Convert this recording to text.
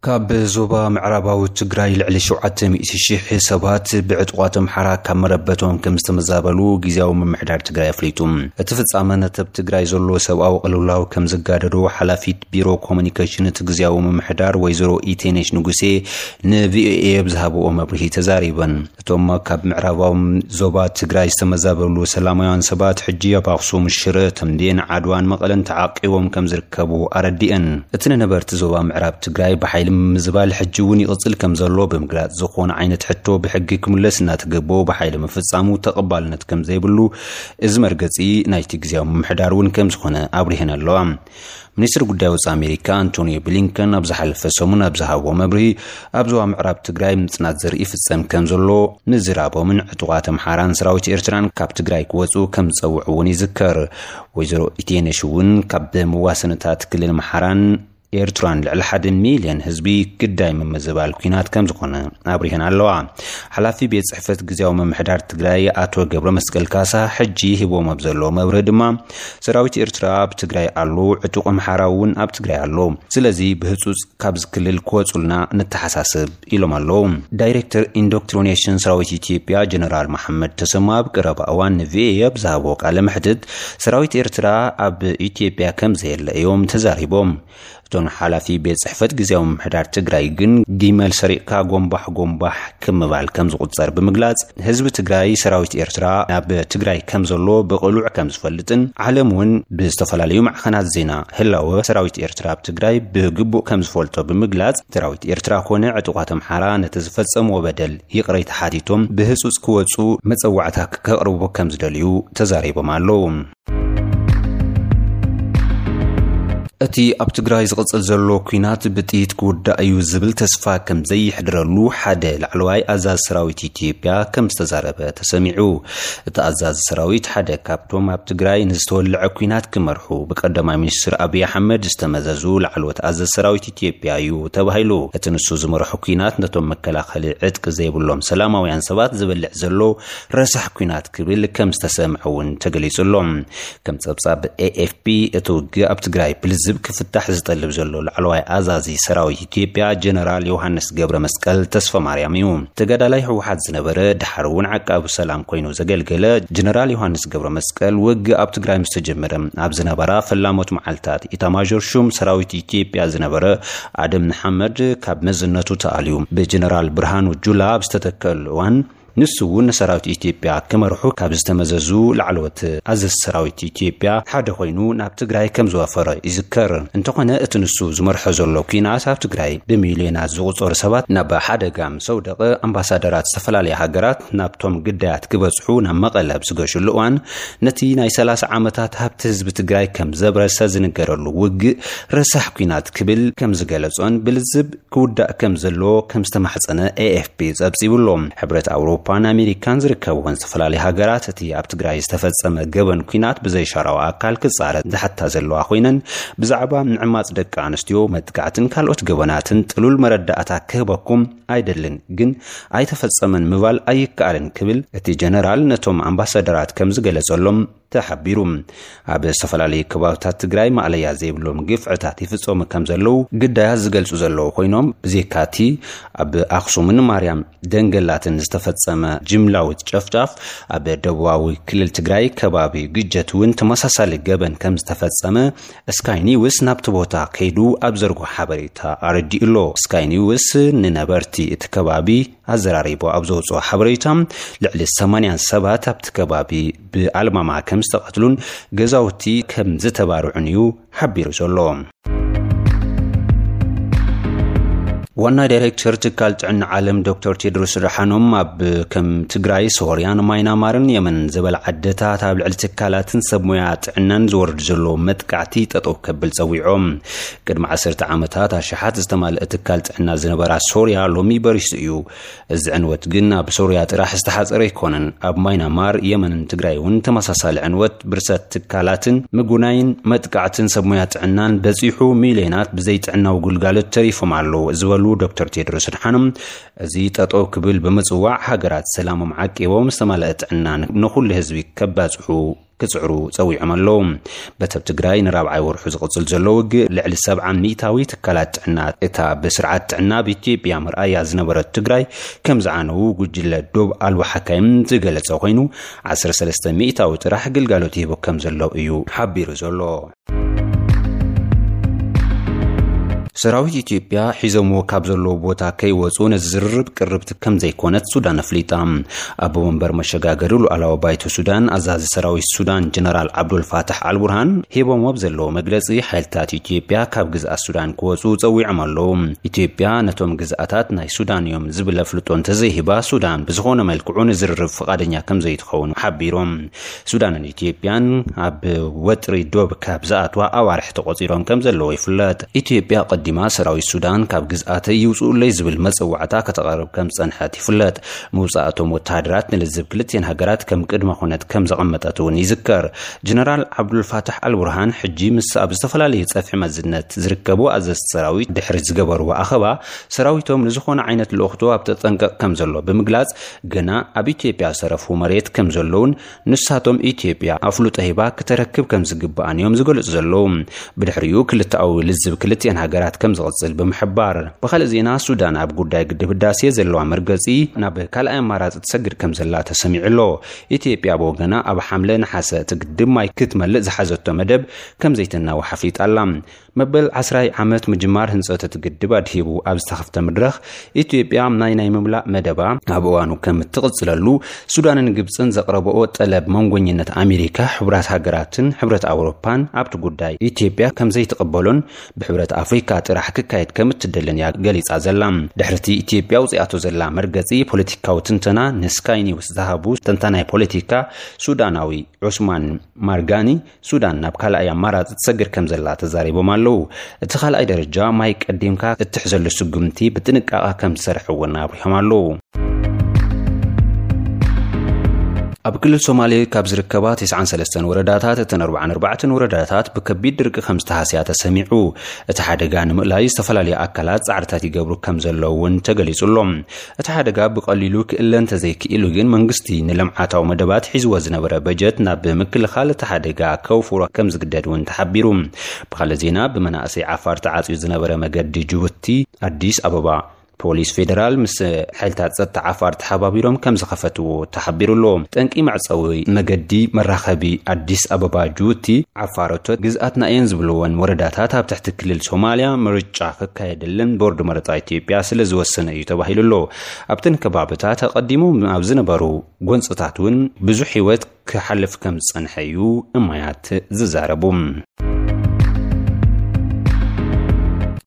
ካብ ዞባ ምዕራባዊ ትግራይ ልዕሊ ሸውዓተ ሚእቲ ሽሕ ሰባት ብዕጡቓት ኣምሓራ ካብ መረበቶም ከም ዝተመዛበሉ ግዝያዊ ምምሕዳር ትግራይ ኣፍሊጡ። እቲ ፍጻመ ነቲ ኣብ ትግራይ ዘሎ ሰብኣዊ ቅልውላው ከም ዘጋደዶ ሓላፊት ቢሮ ኮሙኒኬሽን እቲ ግዝያዊ ምምሕዳር ወይዘሮ ኢቴነሽ ንጉሴ ንቪኦኤ ኣብ ዝሃብኦ መብርሂ ተዛሪበን። እቶም ካብ ምዕራባዊ ዞባ ትግራይ ዝተመዛበሉ ሰላማውያን ሰባት ሕጂ ኣብ ኣኽሱም፣ ሽረ፣ ተምቤን፣ ዓድዋን መቐለን ተዓቂቦም ከም ዝርከቡ ኣረዲአን። እቲ ንነበርቲ ዞባ ምዕራብ ትግራይ ብሓይሊ ምምዝባል ሕጂ እውን ይቕጽል ከም ዘሎ ብምግላጽ፣ ዝኾነ ዓይነት ሕቶ ብሕጊ ክምለስ እናተገበኦ ብሓይሊ ምፍጻሙ ተቐባልነት ከም ዘይብሉ እዚ መርገጺ ናይቲ ግዝያዊ ምምሕዳር እውን ከም ዝኾነ ኣብሪሀን ኣለዋ። ሚኒስትሪ ጉዳይ ወጻኢ ኣሜሪካ ኣንቶኒዮ ብሊንከን ኣብ ዝሓለፈ ሰሙን ኣብ ዝሃብዎ መብርሂ፣ ኣብ ዞባ ምዕራብ ትግራይ ምጽናት ዘርኢ ይፍጸም ከም ዘሎ ምዝራቦምን ዕጡቓት ኣምሓራን ሰራዊት ኤርትራን ካብ ትግራይ ክወጹ ከም ዝጸውዑ እውን ይዝከር። ወይዘሮ ኢቴነሽ እውን ካብ መዋሰንታት ክልል ኣምሓራን ኤርትራን ልዕሊ ሓደ ሚልዮን ህዝቢ ግዳይ ምምዝባል ኲናት ከም ዝኾነ ኣብሪሀን ኣለዋ። ሓላፊ ቤት ጽሕፈት ግዝያዊ ምምሕዳር ትግራይ ኣቶ ገብረ መስቀል ካሳ ሕጂ ሂቦም ኣብ ዘሎ መብርሂ ድማ፣ ሰራዊት ኤርትራ ኣብ ትግራይ ኣሎ፣ ዕጡቕ ኣምሓራ እውን ኣብ ትግራይ ኣሎ። ስለዚ ብህጹጽ ካብዚ ክልል ክወጹልና ንተሓሳስብ ኢሎም ኣለዉ። ዳይሬክተር ኢንዶክትሪኔሽን ሰራዊት ኢትዮጵያ ጀነራል መሓመድ ተሰማ ኣብ ቀረባ እዋን ንቪኦኤ ኣብ ዝሃቦ ቃለ መሕትት፣ ሰራዊት ኤርትራ ኣብ ኢትዮጵያ ከም ዘየለ እዮም ተዛሪቦም። እቶም ሓላፊ ቤት ጽሕፈት ግዝያዊ ምምሕዳር ትግራይ ግን ጊመል ሰሪቕካ ጎንባሕ ጎንባሕ ክምባል ከም ዝቑጸር ብምግላጽ፣ ህዝቢ ትግራይ ሰራዊት ኤርትራ ኣብ ትግራይ ከም ዘሎ ብቕሉዕ ከም ዝፈልጥን ዓለም እውን ብዝተፈላለዩ ማዕኸናት ዜና ህላወ ሰራዊት ኤርትራ ኣብ ትግራይ ብግቡእ ከም ዝፈልጦ ብምግላጽ፣ ሰራዊት ኤርትራ ኮነ ዕጡቓት ኣምሓራ ነቲ ዝፈጸምዎ በደል ይቕሬታ ሓቲቶም ብህጹጽ ክወጹ መጸዋዕታ ከቕርቡ ከም ዝደልዩ ተዛሪቦም ኣለዉ። እቲ ኣብ ትግራይ ዝቕጽል ዘሎ ኲናት ብጥይት ክውዳእ እዩ ዝብል ተስፋ ከም ዘየሕድረሉ ሓደ ላዕለዋይ ኣዛዚ ሰራዊት ኢትዮጵያ ከም ዝተዛረበ ተሰሚዑ። እቲ ኣዛዚ ሰራዊት ሓደ ካብቶም ኣብ ትግራይ ንዝተወልዐ ኲናት ክመርሑ ብቀዳማይ ሚኒስትር ኣብይ ኣሕመድ ዝተመዘዙ ላዕለዎት ኣዛዚ ሰራዊት ኢትዮጵያ እዩ ተባሂሉ። እቲ ንሱ ዝመርሖ ኲናት ነቶም መከላኸሊ ዕጥቂ ዘይብሎም ሰላማውያን ሰባት ዝብልዕ ዘሎ ረሳሕ ኲናት ክብል ከም ዝተሰምዐ እውን ተገሊጹ ኣሎ። ከም ጸብጻብ ኤኤፍፒ፣ እቲ ውግእ ኣብ ትግራይ ብልዝብ ክፍታሕ ዝጠልብ ዘሎ ላዕለዋይ ኣዛዚ ሰራዊት ኢትዮጵያ ጀነራል ዮሃንስ ገብረ መስቀል ተስፋ ማርያም እዩ። ተጋዳላይ ህወሓት ዝነበረ፣ ድሓር እውን ዓቃቢ ሰላም ኮይኑ ዘገልገለ ጀነራል ዮሃንስ ገብረ መስቀል፣ ውግእ ኣብ ትግራይ ምስ ተጀመረ ኣብ ዝነበራ ፈላሞት መዓልታት፣ ኢታማዦር ሹም ሰራዊት ኢትዮጵያ ዝነበረ ኣደም ንሓመድ ካብ መዝነቱ ተኣልዩ ብጀነራል ብርሃኑ ጁላ ኣብ ዝተተከሉ እዋን፣ ንሱ እውን ንሰራዊት ኢትዮጵያ ክመርሑ ካብ ዝተመዘዙ ላዕለዎት ኣዘዝቲ ሰራዊት ኢትዮጵያ ሓደ ኮይኑ ናብ ትግራይ ከም ዝወፈረ ይዝከር። እንተኾነ፣ እቲ ንሱ ዝመርሖ ዘሎ ኲናት ኣብ ትግራይ ብሚልዮናት ዝቑጸሩ ሰባት ናብ ሓደጋ ምስ ኣውደቐ፣ ኣምባሳደራት ዝተፈላለያ ሃገራት ናብቶም ግዳያት ክበጽሑ ናብ መቐለ ኣብ ዝገሹሉ እዋን፣ ነቲ ናይ ሰላሳ ዓመታት ሃብቲ ህዝቢ ትግራይ ከም ዘብረሰ ዝንገረሉ ውግእ ረሳሕ ኲናት ክብል ከም ዝገለጾን ብልዝብ ክውዳእ ከም ዘለዎ ከም ዝተማሕጸነ ኤኤፍፒ ጸብጺቡ ኣሎ። ሕብረት ኣውሮፓን ኣሜሪካን ዝርከብወን ዝተፈላለዩ ሃገራት፣ እቲ ኣብ ትግራይ ዝተፈጸመ ገበን ኲናት ብዘይሻራዊ ኣካል ክጻረ ዝሓታ ዘለዋ ኮይነን፣ ብዛዕባ ምዕማጽ ደቂ ኣንስትዮ፣ መጥቃዕትን ካልኦት ገበናትን ጥሉል መረዳእታ ክህበኩም ኣይደልን፣ ግን ኣይተፈጸመን ምባል ኣይከኣልን ክብል እቲ ጀነራል ነቶም ኣምባሳደራት ከም ዝገለጸሎም ተሓቢሩ። ኣብ ዝተፈላለዩ ከባብታት ትግራይ ማእለያ ዘይብሎም ግፍዕታት ይፍጸሙ ከም ዘለዉ ግዳያት ዝገልጹ ዘለዉ ኮይኖም፣ ብዘይካቲ ኣብ ኣኽሱምን ማርያም ደንገላትን ዝተፈጸመ ጅምላዊ ጨፍጫፍ፣ ኣብ ደቡባዊ ክልል ትግራይ ከባቢ ግጀት እውን ተመሳሳሊ ገበን ከም ዝተፈጸመ ስካይ ኒውስ ናብቲ ቦታ ከይዱ ኣብ ዘርጎ ሓበሬታ ኣረዲኡ ኣሎ። ስካይ ኒውስ ንነበርቲ እቲ ከባቢ ኣዘራሪቡ ኣብ ዘውፅኦ ሓበሬታ፣ ልዕሊ ሰማንያ ሰባት ኣብቲ ከባቢ ብኣልማማ ከም ዝተቐትሉን ገዛውቲ ከም ዝተባርዑን እዩ ሓቢሩ ዘሎ። ዋና ዳይሬክተር ትካል ጥዕና ዓለም ዶክተር ቴድሮስ ኣድሓኖም፣ ኣብ ከም ትግራይ፣ ሶርያን ማይናማርን የመንን ዝበላ ዓድታት ኣብ ልዕሊ ትካላትን ሰብ ሞያ ጥዕናን ዝወርድ ዘሎ መጥቃዕቲ ጠጠው ከብል ጸዊዖም። ቅድሚ ዓሰርተ ዓመታት ኣሽሓት ዝተማልአ ትካል ጥዕና ዝነበራ ሶርያ ሎሚ በሪሱ እዩ። እዚ ዕንወት ግን ኣብ ሶርያ ጥራሕ ዝተሓጸረ ኣይኮነን። ኣብ ማይናማር፣ የመንን ትግራይ እውን ተመሳሳሊ ዕንወት ብርሰት ትካላትን ምጉናይን መጥቃዕትን ሰብ ሞያ ጥዕናን በጺሑ፣ ሚልዮናት ብዘይ ጥዕናዊ ግልጋሎት ተሪፎም ኣለዉ ዝበሉ ዶክተር ቴድሮስ ኣድሓኖም፣ እዚ ጠጠው ክብል ብምጽዋዕ፣ ሃገራት ሰላሞም ዓቂቦም ዝተማልአ ጥዕና ንኹሉ ህዝቢ ከባጽሑ ክጽዕሩ ጸዊዖም ኣለዉ። በተብ ትግራይ ንራብዓይ ወርሑ ዝቕጽል ዘሎ ውግእ፣ ልዕሊ ሰብዓ ሚእታዊ ትካላት ጥዕና እታ ብስርዓት ጥዕና ኣብ ኢትዮጵያ መርኣያ ዝነበረት ትግራይ ከም ዝዓነዉ ጉጅለ ዶብ ኣልቦ ሓካይም ዝገለጸ ኮይኑ፣ ዓሰርተ ሰለስተ ሚእታዊ ጥራሕ ግልጋሎት ይህቦ ከም ዘሎ እዩ ሓቢሩ ዘሎ። ሰራዊት ኢትዮጵያ ሒዞምዎ ካብ ዘለዉ ቦታ ከይወፁ ነዚ ዝርርብ ቅርብቲ ከም ዘይኮነት ሱዳን ኣፍሊጣ። ኣቦ መንበር መሸጋገሪ ሉዓላዊ ባይቶ ሱዳን፣ ኣዛዚ ሰራዊት ሱዳን ጀነራል ዓብዱል ፋታሕ ኣልቡርሃን፣ ሂቦምዎ ኣብ ዘለዉ መግለፂ፣ ሓይልታት ኢትዮጵያ ካብ ግዝኣት ሱዳን ክወፁ ፀዊዖም ኣለዉ። ኢትዮጵያ ነቶም ግዝኣታት ናይ ሱዳን እዮም ዝብል ኣፍልጦ እንተዘይሂባ፣ ሱዳን ብዝኾነ መልክዑ ንዝርርብ ፍቓደኛ ከም ዘይትኸውን ሓቢሮም። ሱዳንን ኢትዮጵያን ኣብ ወጥሪ ዶብ ካብ ዝኣትዋ ኣዋርሕ ተቆፂሮም ከም ዘለዉ ይፍለጥ። ኢትዮጵያ ቀዲማ ሰራዊት ሱዳን ካብ ግዝኣተይ ይውፅኡለይ ዝብል መፀዋዕታ ከተቕርብ ከም ዝፀንሐት ይፍለጥ። ምውፃእ እቶም ወተሃደራት ንልዝብ ክልቲኤን ሃገራት ከም ቅድመ ኩነት ከም ዘቐመጠት እውን ይዝከር። ጀነራል ዓብዱልፋታሕ ኣልቡርሃን ሕጂ ምስ ኣብ ዝተፈላለዩ ፀፍሒ መዝነት ዝርከቡ ኣዘዝቲ ሰራዊት ድሕሪ ዝገበርዎ ኣኸባ፣ ሰራዊቶም ንዝኾነ ዓይነት ልእኽቶ ኣብ ተጠንቀቕ ከም ዘሎ ብምግላፅ፣ ገና ኣብ ኢትዮጵያ ዝተረፉ መሬት ከም ዘለውን ንሳቶም ኢትዮጵያ ኣፍልጦ ሂባ ክተረክብ ከም ዝግብኣን እዮም ዝገልጹ ዘለዉ። ብድሕሪኡ ክልተኣዊ ልዝብ ክልቲኤን ሃገራት ከም ዝቕጽል ብምሕባር፣ ብኻልእ ዜና፣ ሱዳን ኣብ ጉዳይ ግድብ ህዳሴ ዘለዋ መርገጺ ናብ ካልኣይ ኣማራጺ ትሰግር ከም ዘላ ተሰሚዑ ኣሎ። ኢትዮጵያ ብወገና፣ ኣብ ሓምለ ነሓሰ እቲ ግድብ ማይ ክትመልእ ዝሓዘቶ መደብ ከም ዘይተናውሕ ኣፍሊጣ ኣላ። መበል ዓስራይ ዓመት ምጅማር ህንጸት እቲ ግድብ ኣድሂቡ ኣብ ዝተኸፍተ መድረኽ፣ ኢትዮጵያ ናይ ናይ ምምላእ መደባ ኣብ እዋኑ ከም እትቕጽለሉ፣ ሱዳንን ግብጽን ዘቕረበኦ ጠለብ መንጎኝነት ኣሜሪካ፣ ሕብራት ሃገራትን ሕብረት ኣውሮፓን ኣብቲ ጉዳይ ኢትዮጵያ ከም ዘይትቕበሎን ብሕብረት ኣፍሪካ ጥራሕ ክካየድ ከም እትደልን እያ ገሊጻ ዘላ። ድሕርቲ ኢትዮጵያ ኣውጺኣቶ ዘላ መርገጺ ፖለቲካዊ ትንተና ንስካይ ኒውስ ዝሃቡ ተንታናይ ፖለቲካ ሱዳናዊ ዑስማን ማርጋኒ፣ ሱዳን ናብ ካልኣይ ኣማራጺ ትሰግር ከም ዘላ ተዛሪቦም ኣለዉ። እቲ ካልኣይ ደረጃ ማይ ቀዲምካ እትሕዘሉ ስጉምቲ ብጥንቃቐ ከም ዝሰርሕ እውን ኣብሪሆም ኣለዉ። ኣብ ክልል ሶማሌ ካብ ዝርከባ ተስዓን ሰለስተን ወረዳታት፣ እተን ኣርባዓን ኣርባዕተን ወረዳታት ብከቢድ ድርቂ ከም ዝተሃስያ ተሰሚዑ። እቲ ሓደጋ ንምእላይ ዝተፈላለዩ ኣካላት ጻዕርታት ይገብሩ ከም ዘለዉ እውን ተገሊጹ ኣሎ። እቲ ሓደጋ ብቐሊሉ ክእለ እንተዘይክኢሉ ግን፣ መንግስቲ ንልምዓታዊ መደባት ሒዝዎ ዝነበረ በጀት ናብ ምክልኻል እቲ ሓደጋ ከውፍሮ ከም ዝግደድ እውን ተሓቢሩ። ብኻልእ ዜና፣ ብመናእሰይ ዓፋር ተዓጽዩ ዝነበረ መገዲ ጅቡቲ ኣዲስ ኣበባ፣ ፖሊስ ፌደራል ምስ ሓይልታት ጸጥታ ዓፋር ተሓባቢሮም ከም ዝኸፈትዎ ተሓቢሩ ኣሎ። ጠንቂ መዕጸዊ መገዲ መራኸቢ ኣዲስ ኣበባ ጅቡቲ፣ ዓፋር እቶት ግዝኣትና እየን ዝብልወን ወረዳታት ኣብ ትሕቲ ክልል ሶማልያ ምርጫ ክካየደለን ቦርድ መረጻ ኢትዮጵያ ስለ ዝወሰነ እዩ ተባሂሉ ኣሎ። ኣብተን ከባብታት ኣቐዲሞም ኣብ ዝነበሩ ጎንጽታት እውን ብዙሕ ህይወት ክሓልፍ ከም ዝጸንሐ እዩ እማያት ዝዛረቡ።